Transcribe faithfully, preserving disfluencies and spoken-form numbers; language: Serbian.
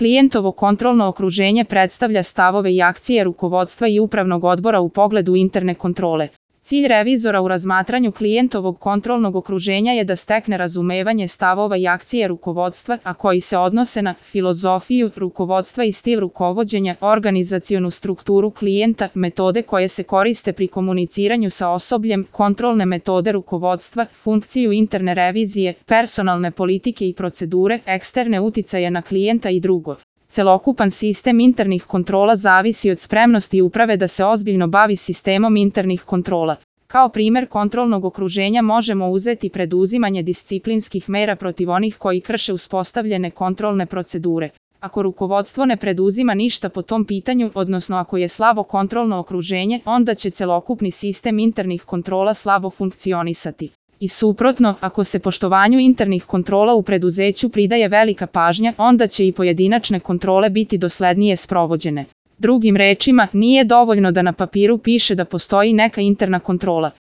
Klijentovo kontrolno okruženje predstavlja stavove i akcije rukovodstva i upravnog odbora u pogledu interne kontrole. Cilj revizora u razmatranju klijentovog kontrolnog okruženja je da stekne razumevanje stavova i akcije rukovodstva, a koji se odnose na filozofiju rukovodstva i stil rukovođenja, organizacionu strukturu klijenta, metode koje se koriste pri komuniciranju sa osobljem, kontrolne metode rukovodstva, funkciju interne revizije, personalne politike i procedure, eksterne uticaje na klijenta i drugo. Celokupan sistem internih kontrola zavisi od spremnosti uprave da se ozbiljno bavi sistemom internih kontrola. Kao primer kontrolnog okruženja možemo uzeti preduzimanje disciplinskih mera protiv onih koji krše uspostavljene kontrolne procedure. Ako rukovodstvo ne preduzima ništa po tom pitanju, odnosno ako je slabo kontrolno okruženje, onda će celokupni sistem internih kontrola slabo funkcionisati. I suprotno, ako se poštovanju internih kontrola u preduzeću pridaje velika pažnja, onda će i pojedinačne kontrole biti doslednije sprovođene. Drugim rečima, nije dovoljno da na papiru piše da postoji neka interna kontrola.